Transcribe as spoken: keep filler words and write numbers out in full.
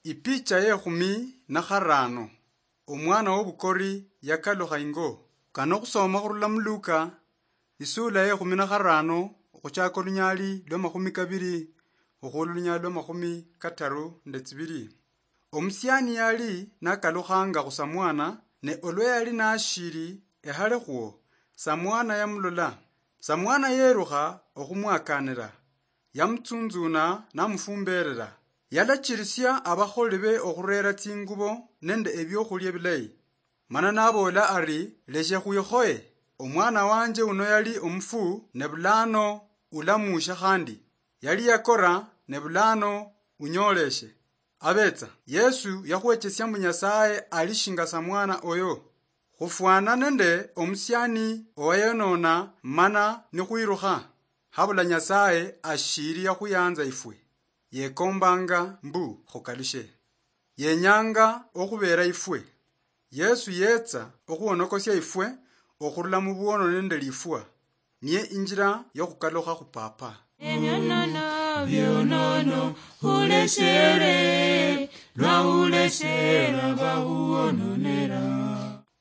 Ipicha yekhumi na kharano. Omwana wobukori yakalukha ingo. Kano khusoma khurula mu Luka, isula yekhumi na kharano, okhuchaka olunyali lwa makhumi kabiri, okhwola olunyali lwa makhumi kataru nde tsibiri. Omusiani yali nakalukhanga khusamwana, ne olwa yali nashiri ehale khwo, samwana yamulola. Samwana yerukha okhumwakanira, yamutsunzuna namufumberera. Yalachirisia abakholi be okhurera tsingubo nende ebiokhulia bilayi. Mana naboola ari, "Leshe khwikhoye. Omwana wanje uno yali omufu, ne bulano ulamuusha khandi. Yali yakora, ne bulano unyooleshe." Abetsa, Yesu yakhwechesia mbu Nyasaye ali shinga samwana oyo. Khufwana nende omusiani owayonona mana nikhwirukha, habula Nyasaye ashiri yakhuyanza ifwe. Yekombanga mbu khukalushe. Yenyanga okhubera ifwe. Yesu yetsa okhuwonokosia ifwe okhurula mu bwono nende lifwa. Niye injira yokhukalukha khu Papa. Enyonana byonono, huleshere, lwa huleshera bahuwononera.